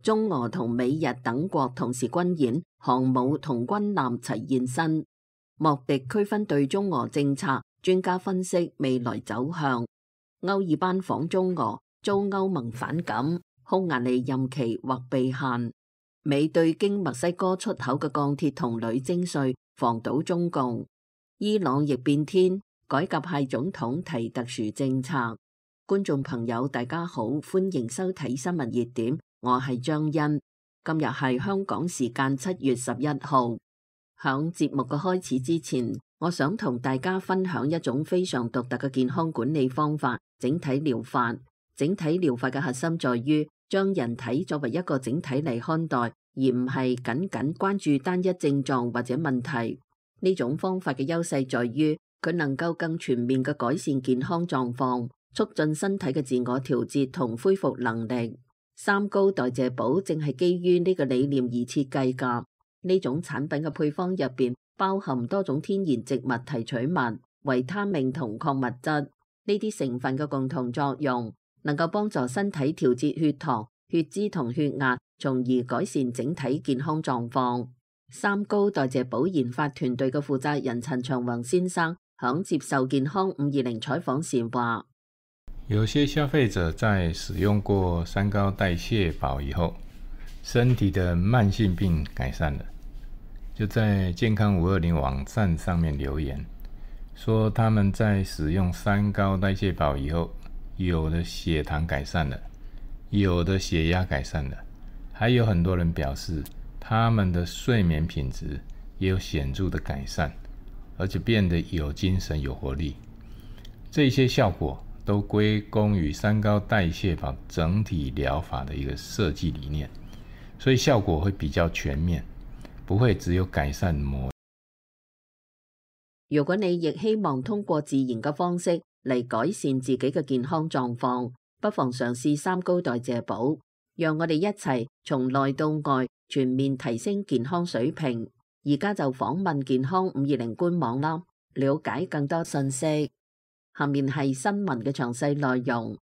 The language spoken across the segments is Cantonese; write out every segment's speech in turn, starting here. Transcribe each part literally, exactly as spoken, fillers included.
中俄同美日等國同時軍演，航母同軍艦齊現身。莫迪區分對中俄政策，專家分析未來走向。歐爾班訪中俄，遭歐盟反感，匈牙利任期或被限。美對經墨西哥出口嘅鋼鐵同鋁徵稅，防堵中共。伊朗亦變天，改革派總統提特殊政策。觀眾朋友大家好，歡迎收睇新聞熱點，我係張欣。今日係香港時間七月十一號。響節目嘅開始之前，我想同大家分享一種非常獨特嘅健康管理方法——整體療法。整體療法嘅核心在於將人體作為一個整體嚟看待，而唔係僅僅關注單一症狀或者問題。呢種方法嘅優勢在於佢能夠更全面嘅改善健康狀況，促進身體嘅自我調節同恢復能力。三高代謝寶正係基於呢個理念而設計㗎。呢種產品嘅配方入邊包含多種天然植物提取物、維他命同礦物質，呢啲成分嘅共同作用能夠幫助身體調節血糖、血脂同血壓，從而改善整體健康狀況。三高代謝寶研發團隊嘅負責人陳長宏先生響接受健康五二零採訪時話：有些消費者在使用過三高代謝寶以後，身體的慢性病改善了，就在健康五二零網站上面留言，說他們在使用三高代謝寶以後，有的血糖改善了，有的血壓改善了，還有很多人表示他們的睡眠品質也有顯著的改善，而且變得有精神有活力。這些效果都歸功於三高代謝寶整體療法的一個設計理念，所以效果會比較全面，不會只有改善某。如果你亦希望通過自然嘅方式嚟改善自己嘅健康狀況，不妨嘗試三高代謝寶，讓我哋一齊從內到外全面提升健康水平。而家就訪問健康五二零官網啦，了解更多信息。下面係新聞嘅詳細內容。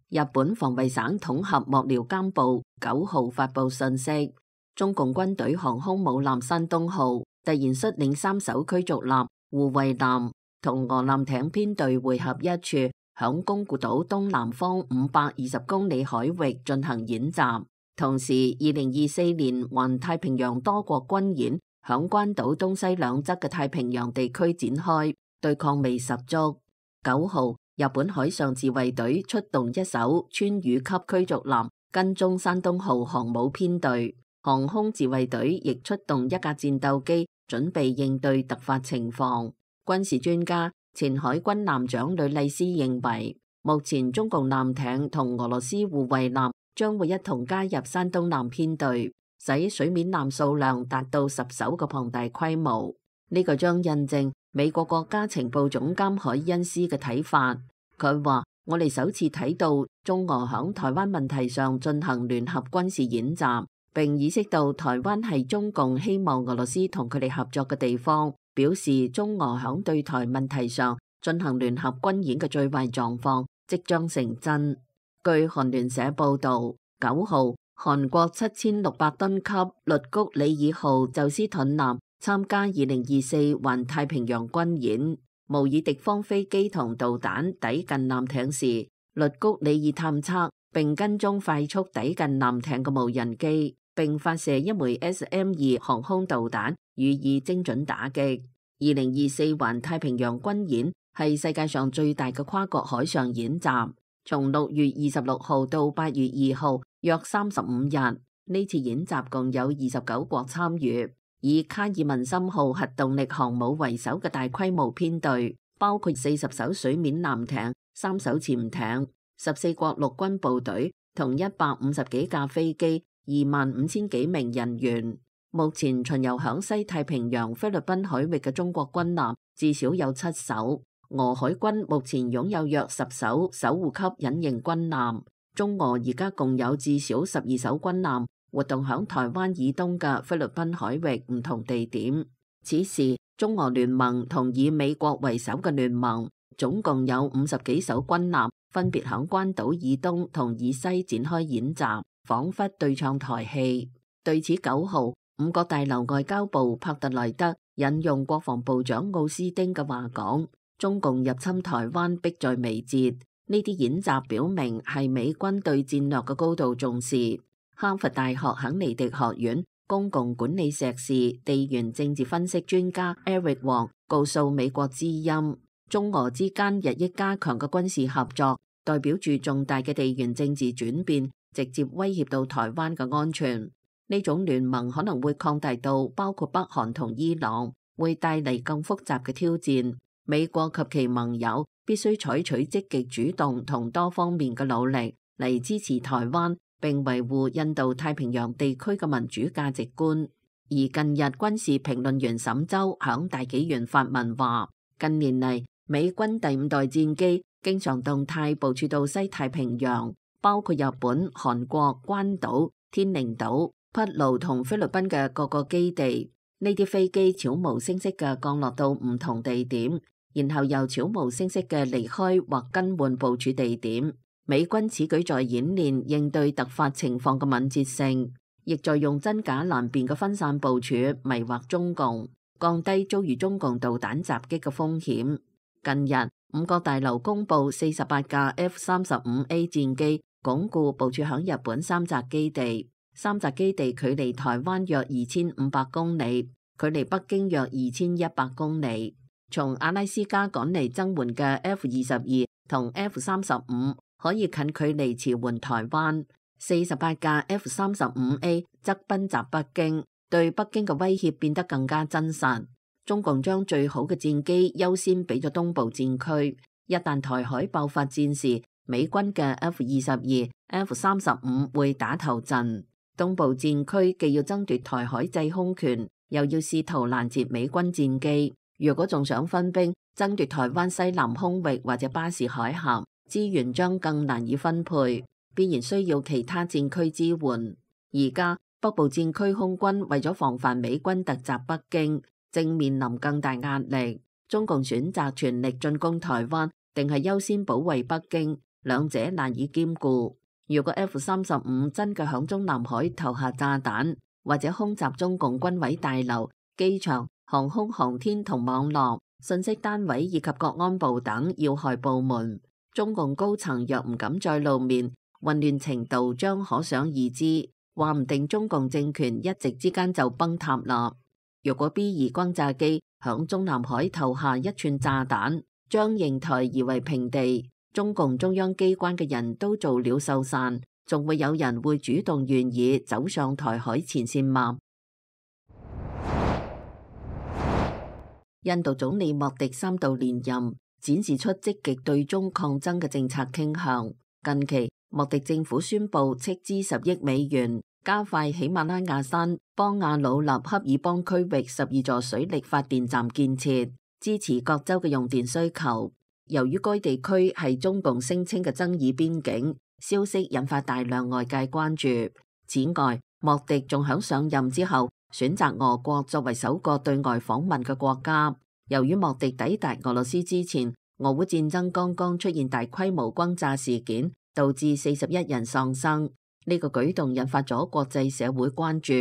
日本防衛省統合幕僚監部九號發布信息，中共軍隊航空母艦山東號突然率領三艘驅逐艦、護衛艦同俄艦艇編隊匯合一處，響宮古島東南方五百二十公里海域進行演習。同時，二零二四年環太平洋多國軍演響關島東西兩側嘅太平洋地區展開，對抗味十足。九號，日本海上自衛隊出動一艘川渝級驅逐艦跟蹤山東號航母編隊，航空自衛隊亦出動一架戰鬥機，準備應對突發情況。軍事專家、前海軍艦長呂麗斯認為，目前中共艦艇同俄羅斯護衛艦將會一同加入山東艦編隊，使水面艦數量達到十艘嘅龐大規模。呢、這個將印證美國國家情報總監海恩斯嘅睇法。佢話：我哋首次睇到中俄響台灣問題上進行聯合軍事演習，並意識到台灣係中共希望俄羅斯同佢哋合作嘅地方，表示中俄響對台問題上進行聯合軍演嘅最壞狀況即將成真。據韓聯社報導，九號，韓國七千六百噸級律谷里爾號宙斯盾艦參加二零二四環太平洋軍演，模擬敵方飛機同導彈抵近艦艇時，律谷里爾探測並跟蹤快速抵近艦艇嘅無人機，並發射一枚 S M 二航空導彈予以精準打擊。二零二四環太平洋軍演係世界上最大嘅跨國海上演習。從六月二十六號到八月二號，約三十五日，呢次演習共有二十九國參與，以卡爾文森號核動力航母為首嘅大規模編隊，包括四十艘水面艦艇、三艘潛艇、十四國陸軍部隊同一百五十幾架飛機、二萬五千幾名人員。目前巡遊響西太平洋菲律賓海域嘅中國軍艦至少有七艘。俄海軍目前擁有約十艘守護級隱形軍艦，中俄而家共有至少十二艘軍艦活動響台灣以東嘅菲律賓海域唔同地點。此時，中俄聯盟同以美國為首嘅聯盟總共有五十幾艘軍艦，分別響關島以東同以西展開演習。彷彿對唱台戲。對此九號，五角大樓外交部帕特萊德引用國防部長奧斯丁嘅話講：中共入侵台灣迫在眉睫。呢啲演習表明係美軍對戰略嘅高度重視。哈佛大學肯尼迪學院公共管理碩士地緣政治分析專家 Eric Wong 告訴美國之音，中俄之間日益加強嘅軍事合作，代表住重大嘅地緣政治轉變，直接威脅到台灣嘅安全。呢種聯盟可能會擴大到包括北韓同伊朗，會帶嚟更複雜嘅挑戰。美國及其盟友必須採取積極主動同多方面嘅努力嚟支持台灣，並維護印度太平洋地區嘅民主價值觀。而近日軍事評論員沈周響大紀元發文話，近年嚟美軍第五代戰機經常動態部署到西太平洋，包括日本、韓國、關島、天寧島、匹盧同菲律賓嘅各個基地。呢啲飛機悄無聲息嘅降落到唔同地點，然後又悄無聲息嘅離開或更換部署地點。美軍此舉在演練應對突發情況嘅敏捷性，亦在用真假難辨嘅分散部署迷惑中共，降低遭遇中共導彈襲擊嘅風險。近日，五角大樓公佈四十八架 F 三十五 A 戰機鞏固部署響日本三澤基地。三澤基地距離台灣約二千五百公里，距離北京約二千一百公里。從阿拉斯加趕嚟增援嘅 F 二十二同 F 三十五可以近距離馳援台灣，四十八架 F 三十五 A 則奔襲北京，對北京嘅威脅變得更加真實。中共將最好嘅戰機優先俾咗東部戰區，一旦台海爆發戰事，美軍嘅 F 二十二、F 三十五會打頭陣。東部戰區既要爭奪台海制空權，又要試圖攔截美軍戰機。如果仲想分兵爭奪台灣西南空域或者巴士海峽，資源將更難以分配，必然需要其他戰區支援。而家北部戰區空軍為咗防範美軍突襲北京，正面臨更大壓力。中共選擇全力進攻台灣，定係優先保衛北京，兩者難以兼顧。如果 F 三十五真嘅響中南海投下炸彈，或者空襲中共軍委大樓、機場、航空航天同網絡、信息單位以及國安部等要害部門，中共高層若唔敢再露面，混亂程度將可想而知。話唔定中共政權一夕之間就崩塌啦。如果 B 二轟炸機響中南海投下一串炸彈，將瀛台夷為平地，中共中央機關嘅人都做了受散，仲會有人會主動願意走上台海前線嗎？印度總理莫迪三度連任，展示出積極對中抗爭嘅政策傾向。近期，莫迪政府宣布斥資十億美元，加快喜馬拉雅山邦亞魯納恰爾邦區域十二座水力發電站建設，支持各州嘅用電需求。由於該地區係中共聲稱嘅爭議邊境，消息引發大量外界關注。此外，莫迪仲響上任之後選擇俄國作為首個對外訪問嘅國家。由於莫迪抵達俄羅斯之前，俄烏戰爭剛剛出現大規模轟炸事件，導致四十一人喪生。呢個舉動引發咗國際社會關注。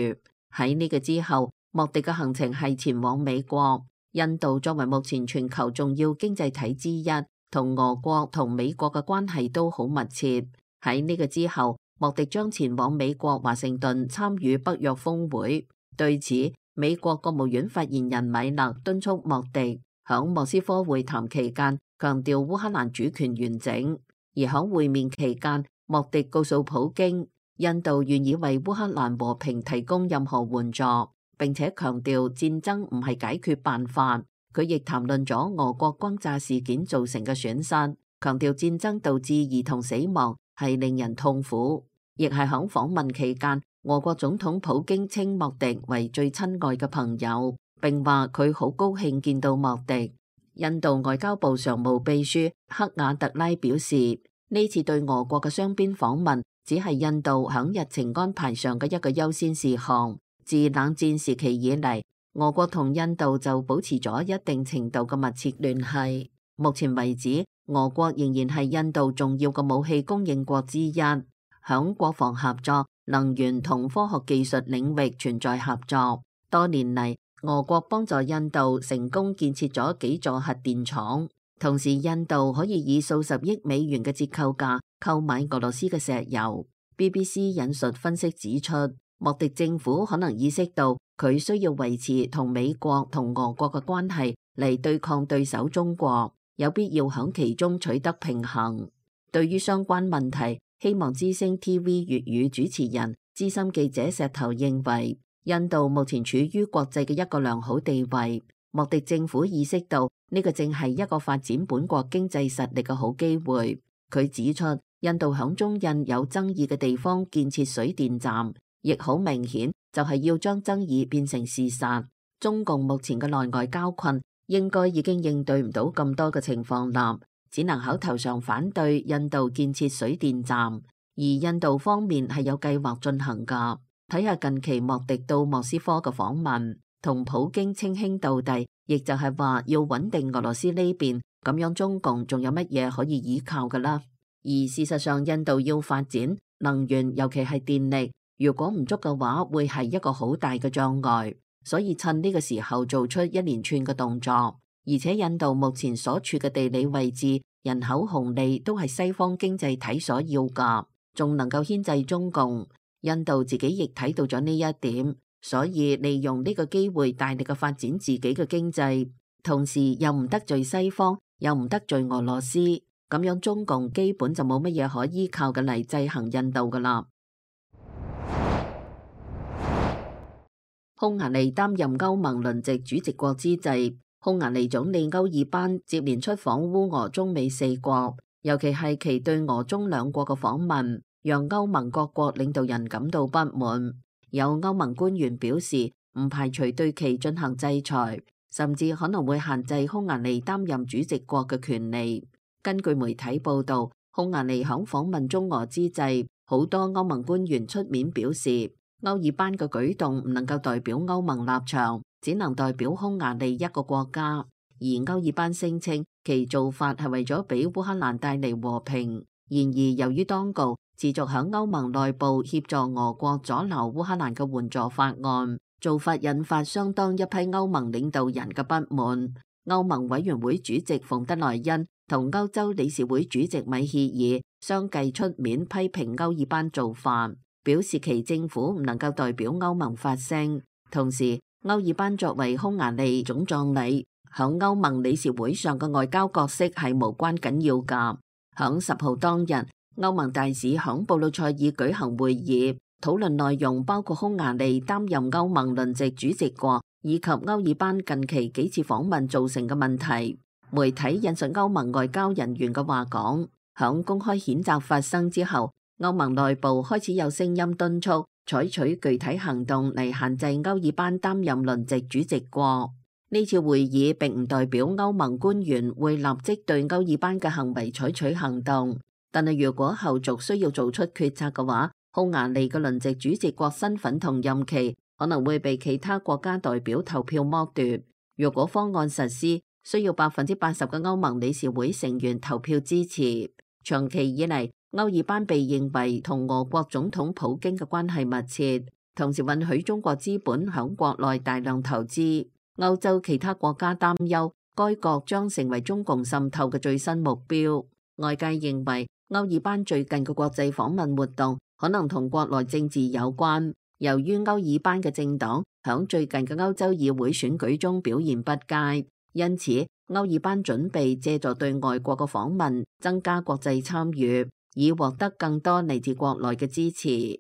喺呢個之後，莫迪嘅行程係前往美國。印度作為目前全球重要經濟體之一，同俄國同美國嘅關係都好密切。喺呢個之後，莫迪將前往美國華盛頓參與北約峰會。對此，美國國務院發言人米勒敦促莫迪響莫斯科會談期間強調烏克蘭主權完整。而響會面期間，莫迪告訴普京，印度願意為烏克蘭和平提供任何援助，並且強調戰爭唔係解決辦法。佢亦談論咗俄國轟炸事件造成嘅損失，強調戰爭導致兒童死亡係令人痛苦。亦係響訪問期間，俄國總統普京稱莫迪為最親愛嘅朋友，並話佢好高興見到莫迪。印度外交部常務秘書克瓦特拉表示，呢次對俄國嘅雙邊訪問只係印度響日程安排上嘅一個優先事項。自冷戰時期以嚟，俄國同印度就保持咗一定程度嘅密切聯繫。目前為止，俄國仍然係印度重要嘅武器供應國之一。響國防合作、能源同科學技術領域存在合作。多年嚟，俄國幫助印度成功建設咗幾座核電廠，同時印度可以以數十億美元嘅折扣價購買俄羅斯嘅石油。B B C 引述分析指出，莫迪政府可能意識到佢需要維持同美國同俄國嘅關係嚟對抗對手中國，有必要響其中取得平衡。對於相關問題，希望之聲 T V 粵語主持人資深記者石頭認為，印度目前處於國際嘅一個良好地位，莫迪政府意識到呢個正係一個發展本國經濟實力嘅好機會。佢指出，印度響中印有爭議嘅地方建設水電站，亦好明顯就係要將爭議變成事實。中共目前嘅內外交困，應該已經應對唔到咁多嘅情況啦，只能口頭上反對印度建設水電站，而印度方面係有計劃進行㗎。睇下近期莫迪到莫斯科嘅訪問，同普京稱兄道弟，亦就係話要穩定俄羅斯呢邊，咁樣中共仲有乜嘢可以依靠㗎啦？而事實上，印度要發展能源，尤其係電力，如果唔足嘅話，會係一個好大嘅障礙。所以趁呢個時候做出一連串嘅動作，而且印度目前所處嘅地理位置、人口紅利都係西方經濟體所要㗎，仲能夠牽制中共。印度自己亦睇到咗呢一點，所以利用呢個機會大力嘅發展自己嘅經濟，同時又唔得罪西方，又唔得罪俄羅斯，咁樣中共基本就冇乜嘢可依靠嘅嚟制衡印度噶啦。匈牙利擔任歐盟輪值主席國之際，匈牙利總理歐爾班接連出訪烏俄中美四國，尤其係其對俄中兩國嘅訪問，讓歐盟各國領導人感到不滿。有歐盟官員表示，唔排除對其進行制裁，甚至可能會限制匈牙利擔任主席國嘅權利。根據媒體報道，匈牙利響訪問中俄之際，好多歐盟官員出面表示，歐爾班嘅舉動唔能夠代表歐盟立場，只能代表匈牙利一個國家。而歐爾班聲稱其做法係為咗俾烏克蘭帶嚟和平。然而，由於當局持續響歐盟內部協助俄國阻撓烏克蘭嘅援助法案，做法引發相當一批歐盟領導人嘅不滿。歐盟委員會主席馮德萊恩同歐洲理事會主席米歇爾相繼出面批評歐爾班做法，表示其政府唔能夠代表歐盟發聲。同時，歐爾班作為匈牙利總葬禮響歐盟理事會上嘅外交角色係無關緊要㗎。響十號當日，歐盟大使響布魯塞爾舉行會議，討論內容包括匈牙利擔任歐盟輪值主席國，以及歐爾班近期幾次訪問造成嘅問題。媒體引述歐盟外交人員嘅話講，響公開譴責發生之後，歐盟內部開始有聲音敦促採取具體行動嚟限制歐爾班擔任輪值主席國。呢次會議並唔代表歐盟官員會立即對歐爾班嘅行為採取行動，但係如果後續需要做出決策嘅話，匈牙利嘅輪值主席國身份同任期可能會被其他國家代表投票剝奪。如果方案實施，需要百分之八十嘅歐盟理事會成員投票支持。長期以嚟，歐爾班被認為同俄國總統普京嘅關係密切，同時允許中國資本響國內大量投資。歐洲其他國家擔憂該國將成為中共滲透嘅最新目標。外界認為歐爾班最近嘅國際訪問活動可能同國內政治有關。由於歐爾班嘅政黨響最近嘅歐洲議會選舉中表現不佳，因此歐爾班準備借助對外國嘅訪問增加國際參與，以獲得更多嚟自國內嘅支持。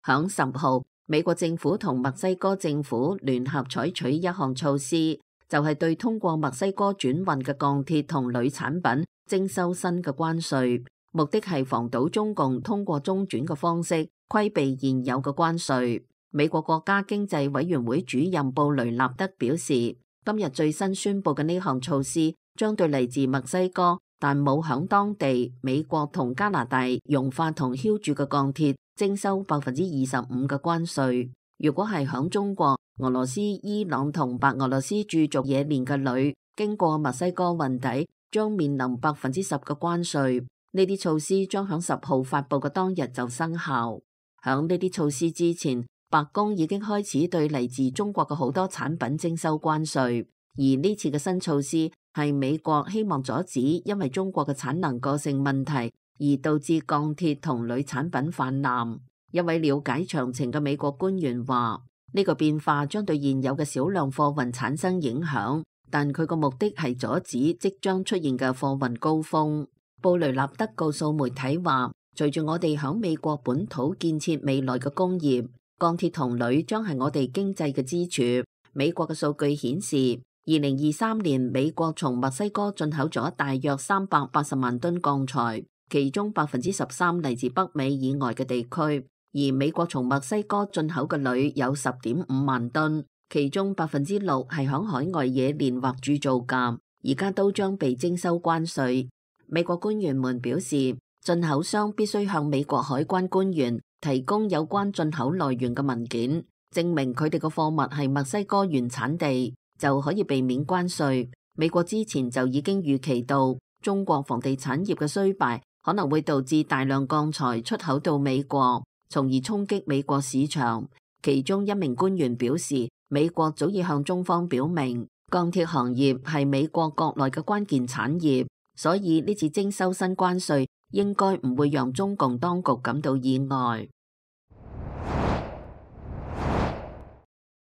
響十號，美國政府同墨西哥政府聯合採取一項措施，就係對通過墨西哥轉運嘅鋼鐵同鋁產品徵收新嘅關稅，目的係防堵中共通過中轉嘅方式規避現有嘅關稅。美國國家經濟委員會主任布雷納德表示，今日最新宣布嘅呢項措施將對嚟自墨西哥但冇響當地美國同加拿大熔化同澆鑄嘅鋼鐵徵收百分之二十五嘅關稅。如果係響中國、俄羅斯、伊朗同白俄羅斯駐族冶煉嘅鋁經過墨西哥運抵，將面臨百分之十嘅關稅。呢啲措施將響十號發布嘅當日就生效。響呢啲措施之前，白宮已經開始對嚟自中國嘅好多產品徵收關稅，而呢次嘅新措施係美國希望阻止因為中國嘅產能過剩問題而導致鋼鐵同鋁產品氾濫。一位了解詳情嘅美國官員話：呢個變化將對現有嘅少量貨運產生影響，但佢個目的係阻止即將出現嘅貨運高峰。布雷納德告訴媒體話：隨住我哋響美國本土建設未來嘅工業，鋼鐵同鋁將係我哋經濟嘅支柱。美國嘅數據顯示，二零二三年美國從墨西哥進口咗大約三百八十萬噸鋼材，其中百分之十三嚟自北美以外嘅地區。而美國從墨西哥進口嘅鋁有十點五萬噸，其中百分之六係響海外冶煉或鑄造㗎，而家都將被徵收關稅。美國官員們表示，進口商必須向美國海關官員提供有關進口來源嘅文件，證明佢哋嘅貨物係墨西哥原產地，就可以避免關稅。美國之前就已經預期到中國房地產業嘅衰敗可能會導致大量鋼材出口到美國，從而衝擊美國市場。其中一名官員表示，美國早已向中方表明，鋼鐵行業係美國國內嘅關鍵產業，所以呢次徵收新關稅應該唔會讓中共當局感到意外。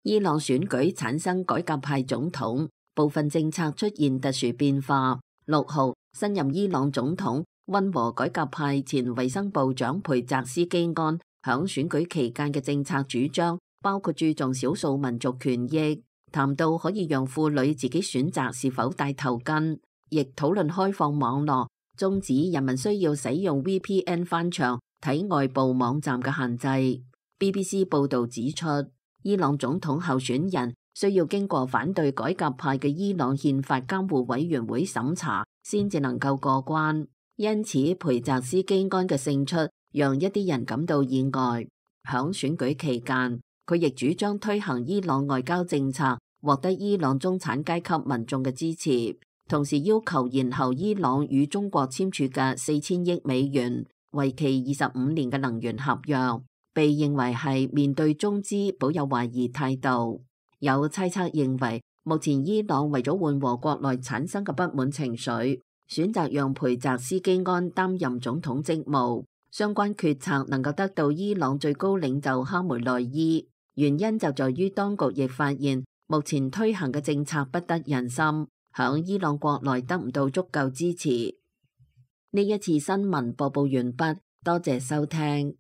伊朗選舉產生改革派總統，部分政策出現特殊變化。六號，新任伊朗總統溫和改革派前衛生部長培澤斯基安響選舉期間嘅政策主張，包括注重少數民族權益，談到可以讓婦女自己選擇是否戴頭巾，亦討論開放網絡，終止人民需要使用 V P N 翻牆睇外部網站嘅限制。B B C 報導指出，伊朗總統候選人需要經過反對改革派嘅伊朗憲法監護委員會審查，先至能夠過關。因此，培澤斯基安嘅勝出讓一啲人感到意外。響選舉期間，佢亦主張推行伊朗外交政策，獲得伊朗中產階級民眾嘅支持，同時要求延後伊朗與中國簽署嘅四千億美元、為期二十五年嘅能源合約，被認為係面對中資保有懷疑態度。有猜測認為，目前伊朗為咗緩和國內產生嘅不滿情緒，選擇讓培澤斯基安擔任總統職務。相關決策能夠得到伊朗最高領袖哈梅內伊，原因就在於當局亦發現目前推行嘅政策不得人心，響伊朗國內得唔到足夠支持。呢一次新聞播報完畢，多謝收聽。